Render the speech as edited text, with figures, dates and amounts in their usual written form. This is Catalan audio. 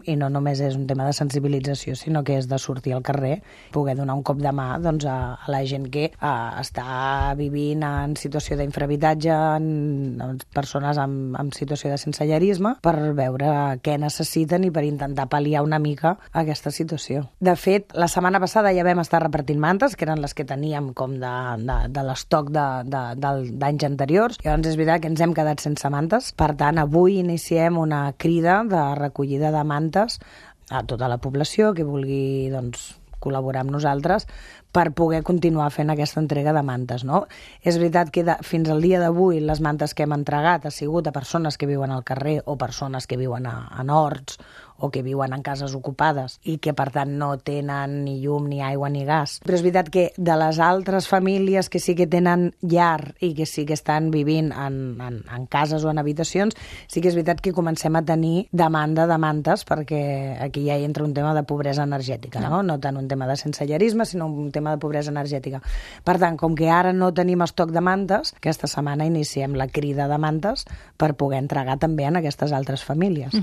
I no només és un tema de sensibilització, sinó que és de sortir al carrer, poder donar un cop de mà doncs, a la gent que està vivint en situació d'infrahabitatge, en persones en situació de sensellarisme, per veure què necessiten i per intentar pal·liar una mica aquesta situació. De fet, la setmana passada ja vam estar repartint mantes, que eren les que teníem com de l'estoc d'anys anteriors. Llavors és veritat que ens hem quedat sense mantes. Per tant, avui iniciem una crida de recollida de mantes a tota la població que vulgui col·laborar amb nosaltres per poder continuar fent aquesta entrega de mantes, no? És veritat que fins al dia d'avui les mantes que hem entregat ha sigut a persones que viuen al carrer o persones que viuen en horts o que viuen en cases ocupades i que, per tant, no tenen ni llum, ni aigua, ni gas. Però és veritat que de les altres famílies que sí que tenen llar i que sí que estan vivint en cases o en habitacions, sí que és veritat que comencem a tenir demanda de mantes, perquè aquí ja hi entra un tema de pobresa energètica, no? No tant un tema de sensellarisme, sinó un tema de pobresa energètica. Per tant, com que ara no tenim estoc de mantes, aquesta setmana iniciem la crida de mantes per poder entregar també en aquestes altres famílies.